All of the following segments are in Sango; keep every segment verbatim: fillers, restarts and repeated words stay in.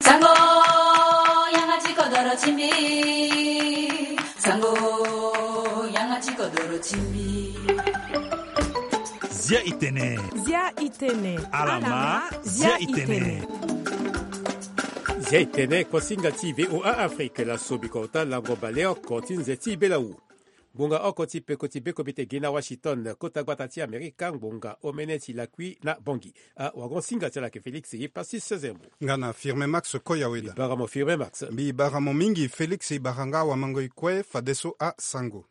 Sango, yanga ti kodoro ti mbi. Sango, yanga ti kodoro ti mbi. Zia itene. Zia itene. Alama, zia itene. Zia itene, kosinga ti VOA Afrique, la sobi kota lango baleoko ti nze ti belawu. Ngbonga oko ti peko ti beko bete gi na Washington, kota gbata ti Amerika, ngbonga omene ti lakui na Bangui. Awagon singa ti ala ke Félix ye pasi sezembo. Nga na Firme Max Koyaweda. Mbi bara mo Firme Max. Mbi bara mo mingi Félix, i bara nga wamango i kue fadeso asango.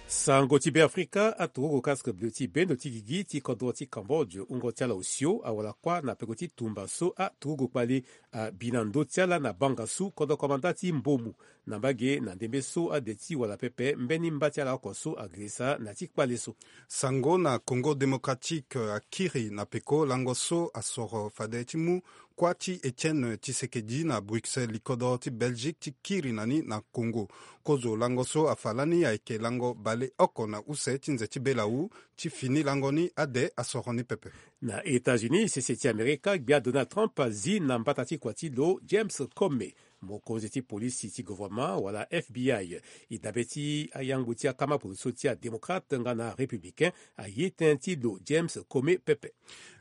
Sango ti Be Afrika, aturugu casque bleu ti bendo ti gigi ti kodro ti Cambodge, wungo ti ala osio awara kuâ na peko ti tumba so aturugu kpali abi na ndö ti ala na banga so kodro komanda ti Mbomu na mbage na ndembe so ade ti wala pepe mbeni mba ti ala oko so agirisa na ti kpale so. Sango na Congo Démocratique, akiri na peko lango so asoro fade ti mu kuâ ti Étienne Tshisekedi na Bruxelles, likodro ti Belgique ti kiri na ni na Congo. Kozo lango so afa lani ayeke lango baleoko na use ti nze ti belawu. Ti fini lango ni ade asoro ni pepe. Na États-Unis, sese ti Amerika, gbia Donald Trump azi na mbata ti kua ti lo James Comey, mokonzi ti polisi ti gouvernement wala F B I. E dabe ti ayangbu ti akama poroso ti adémocrate nga na arépublicain aye tënë ti lo James Comey pepe.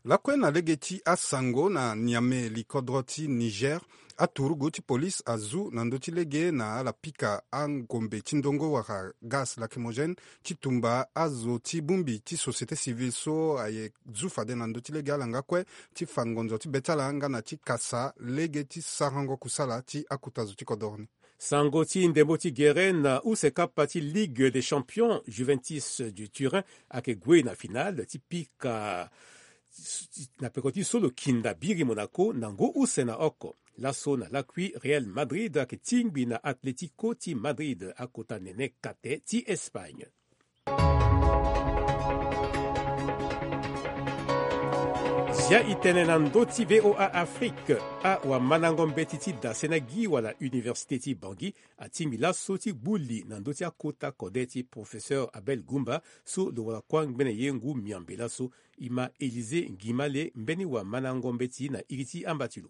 Lakue na lege ti asango na Niamey, likodro ti Niger, aturugu ti polisi azu na ndö ti lege na ala pika angombe ti ndongo wala gaz lacrymogène ti tumba azo ti bongbi ti société civile so aye zu fade na ndö ti lege ala nga kue ti fa ngonzo ti be ti ala nga na ti kasa lege ti sarango kusala ti akota zo ti kodoro ni. Sango ti ndembo ti gere na use kapa ti Ligue des Champions, Juventus du Turin ayeke gue na finale ti pika na peko ti so lo kinda biri Monaco na ngu use na oko. Laso na lakui, Real Madrid ayeke tingbi na Atlético ti Madrid, akota nene kate ti Espagne. Zia itene na ndö ti VOA Afrique. Awamandango mbeti ti dasena gi wala université ti Bangui atingbi laso ti gbu li na ndö ti akota kode ti professeur Abel Goumba so lo wara kuâ ngbene ye ngu miambe laso. E ma Élisée Ngimale, mbeni wamandango mbeti na iri ti amba ti lo.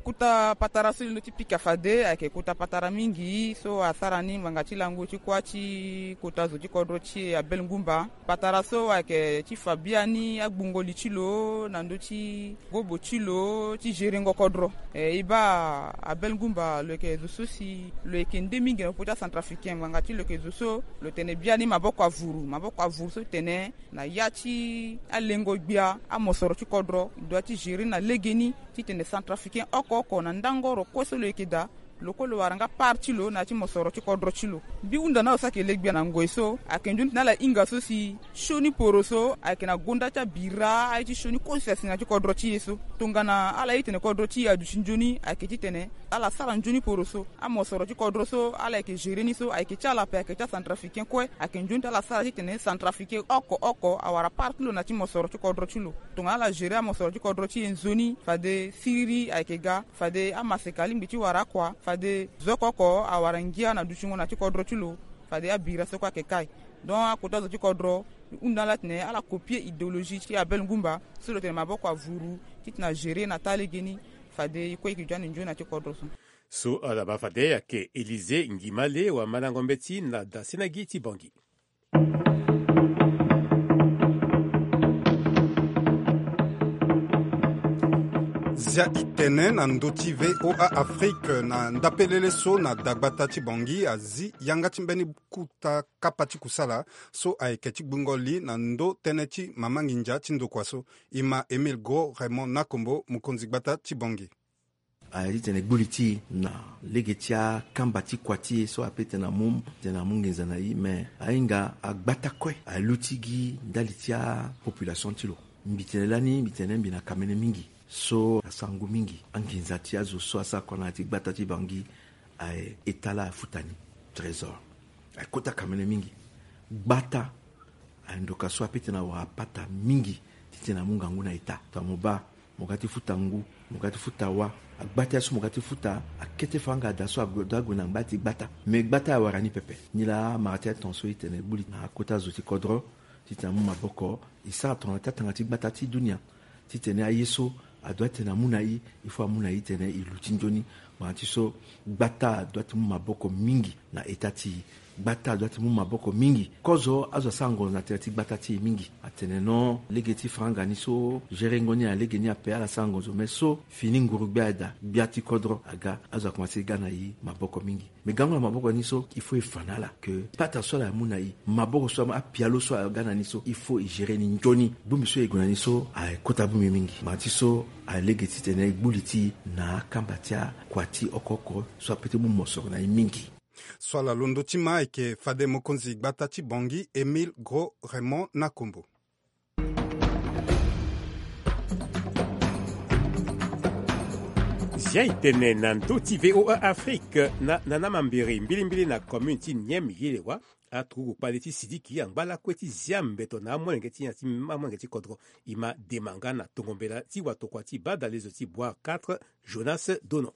Kota patara so e londo ti pika fade ayeke kota patara mingi so asara ni ngbanga ti lango ti kuâ ti kota zo ti kodro ti e Abel Ngumba. Patara so ayeke ti fa biani agbungo li ti lo na ndö ti gobo ti lo ti gerengo kodro. E, e baa Abel Ngumba, lo yeke zo so si lo yeke nde mingi na popo ti acentrafricain ngbanga ti lo yeke zo so lo tene biani maboko avuru, maboko avuru so tene na ya ti alengo gbia amosoro ti kodro, e doit ti gérer na legeni titene centrafricain oko oko na ndango oro kue so lo yeke daa, lo kue lo wara nga part ti lo na ya ti mosoro ti kodro ti lo. Mbi hunda na ala so ayeke le gbia na ngoi so ayeke nzoni titene ala hinga so si sioni poro so ayeke na gonda ti abira aye ti sioni kue so si asi na ya ti kodro ti e so. Tongana ala ye titene kodro ti e aduti nzoni, ayeke titene ala sara nzoni poro so. Amosoro ti kodro so ala yeke gérer ni so ayeke ti ala ape, ayeke ti acentrafricain kue. Ayeke nzoni ti ala sara titene centrafricain oko oko awara part ti lo na ya ti mosoro ti kodro ti lo. Tongana ala gérer amosoro ti kodro ti e nzoni, fade siriri ayeke ga, fade amaseka alingbi ti wara akua, fade zo oko oko awara ngia na dutingo na ya ti kodro ti lo, fade abira so kue ayeke kai. Donc akota zo ti kodro, e hunda ala titene ala copier idéologie ti Abel Ngumba so lo tene maboko avuru titene agérer na taa legeni, fade e kue e yeke duti ande nzoni na ya ti kodro so. So ala baa fade ayeke Élisée Ngimale, wamandango mbeti na dasena gi ti Bangui. Zia itene na ndö ti VOA Afrique, na ndapelele so na dagbata ti Bangui azi yanga ti mbeni kota kapa ti kusala so ayeke ti gbungo li na ndö tënë ti mama nginza ti ndokua so. E ma Émile Gros Raymond Nakombo, mokonzi gbata ti Bangui. Aye titene gbu li ti e na lege ti akamba ti kua ti e so ape titene amu, titene amu nginza na e, me ahinga agbata kue aluti gi ndali ti apopulation ti lo. Mbi tene lani, mbi tene mbi na kamene mingi so asara ngu mingi. Anginza ti azo so asara kua na ya ti gbata ti Bangui, aye eta laa afuta ni. Trésor aye kota kamene mingi. Gbata aye ndoka so ape titene awara pata mingi titene amu ngangu na eta. Tongana mo baa, mo ga ti futa ngu, mo ga ti futa wâ. Agbata so mo ga ti futa akete fanga ada so ague, ague na ngba ti gbata. Me gbata awara ni pepe. Nilaa amara ti aton so e tene gbu li na akota zo ti kodro titene amu maboko e sara tongana ti atanga ti gbata ti dunia, titene aye so Adoit tene amu na i, il faut amu na i tene i luti nzoni. Ngbanga ti so gbata adoit ti mu maboko mingi na eta ti i. Gbata adoit ti mu maboko mingi. Kozo azo asara ngonzo na tere ti gbata ti e mingi. Atene non, lege ti franga ni so gerengo ni alege ni ape, ala sara ngonzo, mais so fini nguru gbia ada, gbia ti kodro aga, azo akomanse ga na i maboko mingi. Mais gango na maboko ni so, il faut e fa na ala ke pata so ala mu na i, maboko so, apialo so aga na ni so, il faut e gérer ni nzoni. Bongbi so e gue na ni so, aye kota bongbi mingi. Ngbanga ti so, alege titene e gbu li ti i na akamba ti akua ti oko oko so ape ti mu mosoro na i mingi. So ala londo ti ma ayeke fade mokonzi gbata ti Bangui, Émile Gros Raymond Nakombo. Zia e tene na ndö ti V O A Afrique na, na, na mambere mbilimbili na commune ti Nieme Yelewa. Aturugu kpale ti Sidiki angba lakue ti zia mbeto na amolenge ti nyen, ti amolenge ti kodro. E ma dema nga na tongo mbela ti watokua ti badalezo ti Boire quatre, Jonas Donon.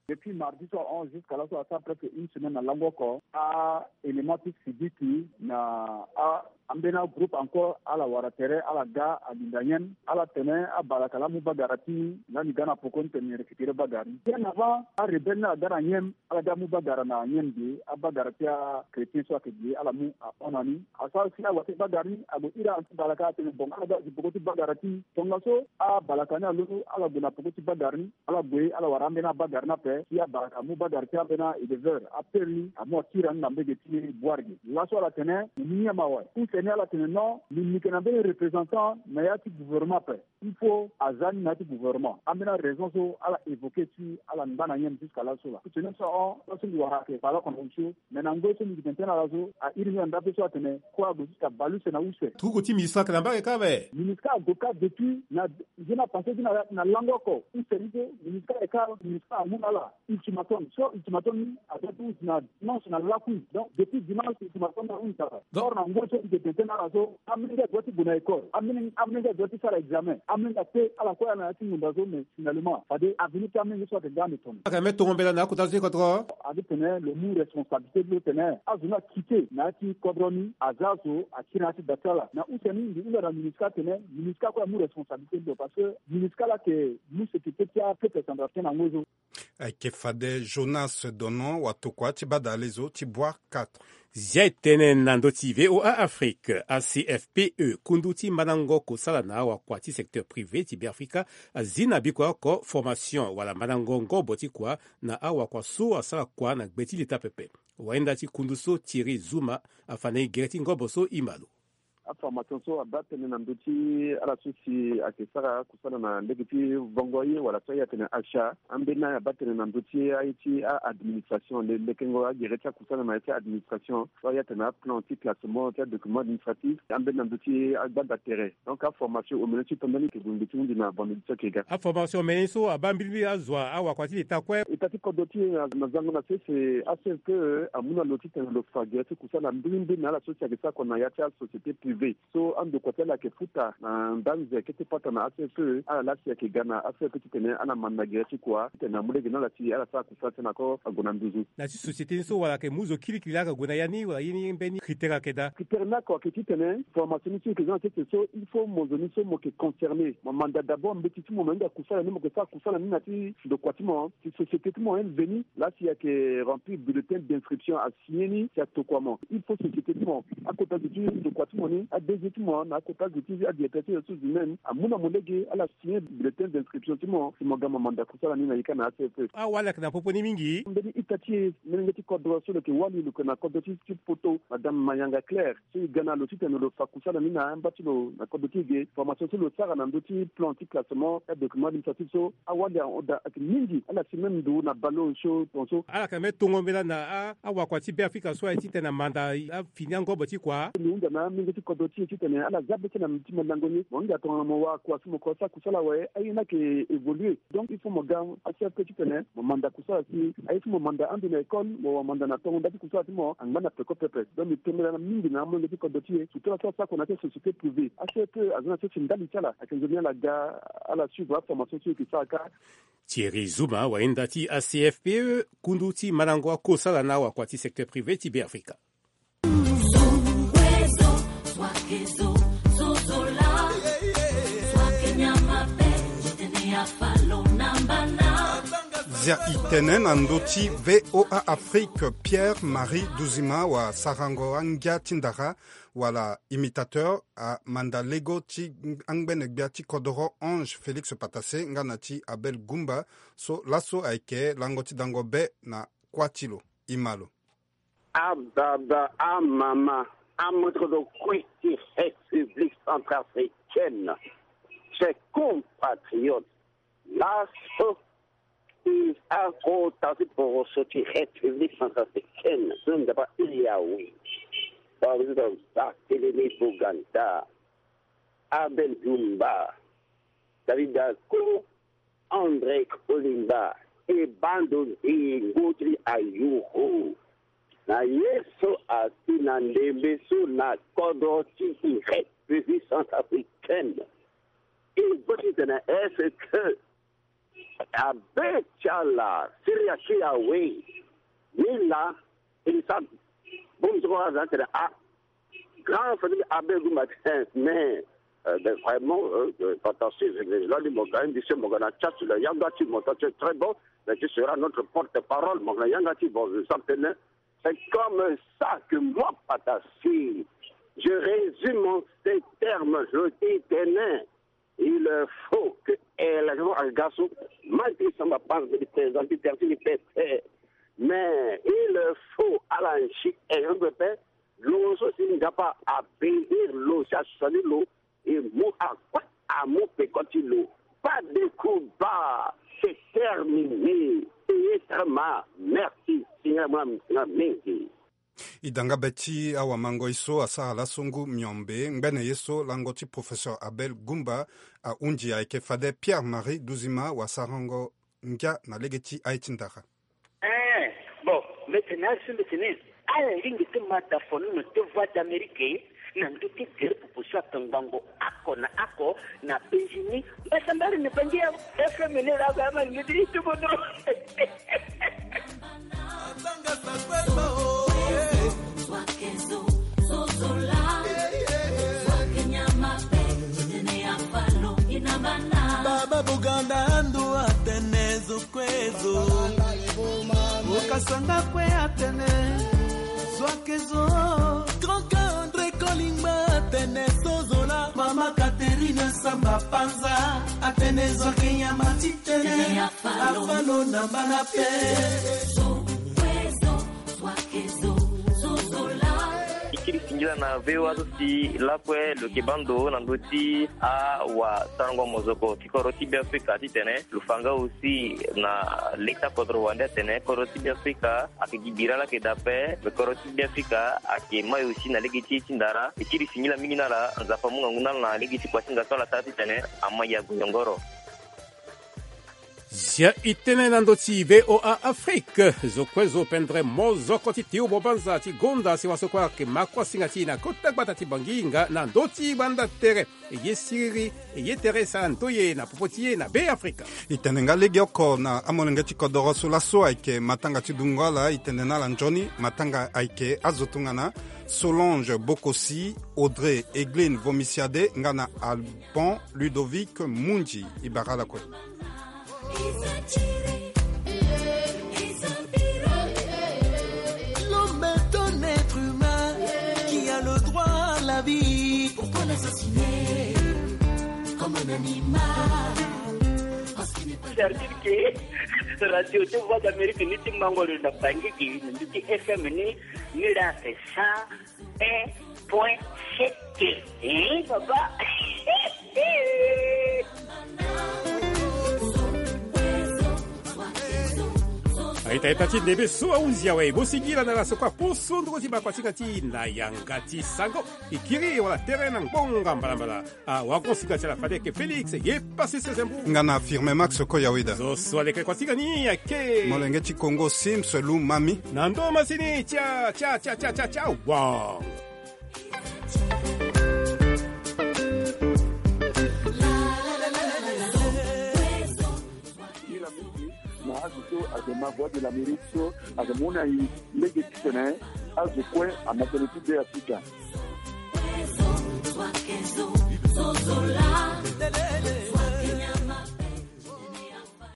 Depuis mardi so ahon jusqu'à laso asara presque une semaine na lango oko. A-élément ti Sidiki na a, ambeni agroupe encore ala wara tere, ala ga alinda Nieme, ala tene abalaka laa amu bagara ti lani ga na poko ni tene récupérer bagara ni. Bien avant, arebelle ni aga na Nieme, ala ga amu bagara na Nieme ge, abagara ti achrétien so ayeke ge, ala mu ahon na ni. Asara si awa ti bagara ni ague iri abalaka atene bon, ala ga azi poko ti bagara ti. Tongaso abalaka ni alondo, ala gue na poko ti bagara ni. Ala gue, ala wara ambeni abagara ni ape, si abalaka amu bagara ti ambeni a-éleveur, apere ni, amu akiri ni na mbege ti Boire ge. Laso ala tene, mo mu nyen mawa? Use ni ala tene non, mbi, mbi yeke na mbeni représentant na ya ti gouvernement ape. Il faut aza ni na ya ti gouvernement. Ambeni araison so ala évoquer si ala ngba na Nieme jusqu'à laso laa. Tene so ahon, laso mbi wara ayeke bale oko na osio. Mais na ngoi so mbi yeke tene tënë na ala so, a iri mbi na ndape so atene, kue ague ti ka bale use na use. Turugu ti MINUSCA ayeke na mbage kâ awe. MINUSCA ague kâ depuis na, nzoni apassé ti na, na lango oko. Use ni so, MINUSCA ayeke kâ, MINUSCA amu na ala ultimatum. So ultimatum ni adoit ti hunzi na dimanche na lakui. Donc depuis dimanche ultimatum ni ahunzi awe. Donc or na ngoi so mbi yeke tene tënë na ala so, amolenge adoit ti gue na école. Amolenge, amolenge adoit ti sara examen. Amolenge ape, ala kue ala na ya ti ngonda so, mais finalement fade avenir ti amolenge so ayeke ga ande tongana. Ayeke même tongo mbela na akota zo ti kodro. Agi tene lo mu responsabilité ti lo tene azo ni akite na ya ti kodro ni, aza azo akiri na ya ti da ti ala. Na use ni mbi hunda na MINUSCA tene MINUSCA kue amu responsabilité ti lo, parce que MINUSCA laa ayeke mu sécurité ti apeuple centrafricain na ngoi so. Ayeke fade Jonas Donon, watokua ti badalezo ti Boire quatre. Zia e tene na ndö ti V O A Afrique. A C F P E, kundu ti mandango kosala na awakua ti secteur privé ti Beafrika, azi na bikua oko formation wala mandango ngobo ti kua na awakua so asara kua na gbe ti leta pepe. Wayenda ti kundu so, Thierry Zouma, afa na e gere ti ngobo so e ma lo. Aformation so abaa tënë na ndö ti ala so si ayeke sara kusala na lege ti vongo ye wala so aye atene achat. Ambeni abaa tënë na ndö ti aye ti a-administration, le, lekengo agere ti akusala na ya ti a-administration, so aye atene aplan ti classement ti adocument administratif. Ambeni na ndö ti agbanda tere. Donc aformation omene ti tongana ni yeke gue ngbe ti hunzi na vendredi so ayeke ga. Aformation omene ni so abaa mbilimbili azo, awakua ti leta kue. Leta ti kodro ti e na, na zango na sese, A C F P E amu na lo titene lo fa gere ti kusala mbilimbili na ala so si ayeke sara kua na ya ti asociété privée. So andokua ti ala ayeke futa na ndanze kete pata na A C F P E, ala laa si ayeke ga na A C F P E titene ala manda gere ti kua titene amu lege na ala si ala sara kusala ti ala na ko ague na nduzu. Na ya ti société ni so wala ayeke mu zo kirikiri laa ayeke gue na ya ni, wala ye ni mbeni critère ayeke daa? Critère ni oko ayeke titene formation ni so e yeke za na sese so, il faut mo zo ni so mo yeke concerné. Mo manda d'abord mbeti ti mo, mo hinga kusala ni, mo yeke sara kusala ni na ya ti ndokua ti mo, si société ti mo, N V ni, laa si ayeke remplir bulletin d'inscription, asigné ni, si atokua mo. Il faut société ti mo, akota zo ti ndokua ti mo ni, A D G ti mo na akota zo ti adirecteur ti ressources humaines amu na mo lege, ala signé bulletin d'inscription ti mo, si mo ga mo manda kusala ni na ye kâ na A C F P E. Awali ayeke na popo ni mingi. Mbeni ita ti e, molenge ti kodro so lo yeke wali, lo yeke na kodro ti, ti poto, Madame Mayanga Claire. So e ga na lo titene lo fa kusala ni na amba ti lo na kodro ti e ge. Formation so lo sara na ndö ti plan ti classement ti adocument administratif so, awali ahon daa ayeke mingi. Ala si même ndo na baleon so, tongaso. Ala yeke même tongo mbela na a, awakua ti Beafrika so aye titene amanda afini angobo ti kua. Mbi hunda na amolenge ti kodro ti e titene ala za be ti na ti mandango ni. Mo hinga tongana mo wara kua so mo kua sara kusala awe, aye ni ayeke évoluer. Donc il faut mo ga A C F P E titene mo manda kusala si aye ti mo manda ando na école, mo wara manda na tongo nda ti kusala ti mo angba na peko pepe. Donc mbi tembela na mingi na amolenge ti kodro ti e, surtout ala so asara kua na ya ti asociété privée. A C F P E aza na sese ndali ti ala, ayeke nzoni ala ga, ala suivre aformation so e yeke sara kâ. Thierry Zouma, wayenda ti A C F P E, kundu ti mandango akosala na awakua ti secteur privé ti Beafrika. Zo, zo, zo, zo, zo, zo, la. Zo, ke nyama pe, je te ne ya Zia i tene na ndö ti VOA Afrique, Pierre Marie Duzima wa sarango angia ti ndara wala imitateur amanda lego ti angbene gbia ti kodoro Ange Félix Patassé nga na ti Abel Goumba, so laso ayeke lango ti dango be na kuâ ti lo. I ma lo. Ababa, amama, amoto kodro kue ti République centrafricaine, chers compatriotes, laso i akota ti poroso ti République centrafricaine so nzapa i awe. Président Barthélemy Boganda, Abel Goumba, David Dacko, André Kolimba, e bando nzingo ti ayuru. Na ye so asi na ndembe so na kodro ti République centrafricaine. E bâ titene est-ce que abe ti ala siri aki awe? Ni laa, e sa bongbi so kue aza tene a grand famille Abel Goumba, mais euh, ben, vraiment, euh, euh, Patassé, je, je, je, là, dit, mon gars, monsieur, mon gars, na chat, le yanga, tu, mon gars, tu es très bon, mais tu seras notre porte-parole, mon gars, yanga, tu, bon, je sens que, c'est comme ça que moi, Patassé, je résume en ces termes, je dis, tenez, il faut que, eh, la, garçon, malgré ça, ma pense de présenter, terminer, mais il faut, à la, eh, lo so si nzapa abénir lo si asali lo, e mu akue amu peko ti lo. Pas de combat, c'est terminé. Payé très mal. Merci Seigneur, mwa mwa mingi. I da nga be ti awamangoi so asara laso ngu miombe ngbene ye so lango ti professeur Abel Goumba ahunzi ayeke fade Pierre Marie Duzima wa sarango ngia na lege ti aye ti ndara. Eh, bon, mbeti na asu mbeti ni. Ala lingi ti ma da fono na te Voix d'Amérique na ndö ti gere popo so atongbango ako na ako na penzi ni. Mbasa mbari ni bangi ya F M ni la ga ma ni di tu bodo. Baba Buganda ando atene zo kue zo. Okasanga kue atene zo ake zo. Grand André Kolimba atene so zola. Mama Catherine Samba Panza atene zo ake nyama ti tene. Afalo na mbana pe. Ikiri singila na V O A so si lakue lo yeke bando na ndö ti awasarango mozoko ti kodro ti Beafrika titene lo fa nga aussi na leta kodro wande atene kodro ti Beafrika ayeke gi bira laa ayeke daa ape. Me kodro ti Beafrika ayeke mai aussi na lege ti ye ti ndara. Ikiri singila mingi na ala, Nzapa amu ngangu na ala na lege ti kuasinga so ala sara titene amai ague nyongoro. Zia i tënë na ndö ti V O A Afrique. Zo kue zo pendere mozoko ti tiubo banza ti gonda sewa so kue ayeke ma kuasinga ti e na kota gbata ti Bangi nga na ndö ti banda tere. E ye siriri, e ye tere sara ndoye na popo ti e na Beafrika. I tene nga legeoko na amolenge ti kodoro so laso ayeke matanga ti dungo ala, i tene na ala nzoni matanga ayeke azo tongana Solange Bokosi, Audrey Egline Vomisiade nga na Alban Ludovic Mundi. I bara ala kue. L'homme est un être humain qui a le droit à la vie. Pourquoi l'assassiner comme un animal? Parce qu'il n'est pas... C'est-à-dire que radio ti Voix d'Amérique ni ti mango lo na Bangi gi ni ti F M ni, ni la c'est ça. Un point sept. Eh, papa. Aita ita ti ndembe so ahunzi awe, mo singila na ala so kue aposo ndoko ti baa kuasinga ti e na yanga ti sango. E kiri wala tere na ngbonga mbalambala. Ah, wago sika ti ala fade ayeke Félix ye pasi sese mbu. Nga na Firme Max Koyaweda. Zo so aleke kuasinga ni ayeke molenge ti Kongo Sims Lumami. Na ndo masini, tia, tia, tia, tia, tia, tia, wa. Ni la mingi na azo so ayeke ma Voix de l'Amérique so ayeke mu na e lege titene azo kue ama tënë ti Beafrika.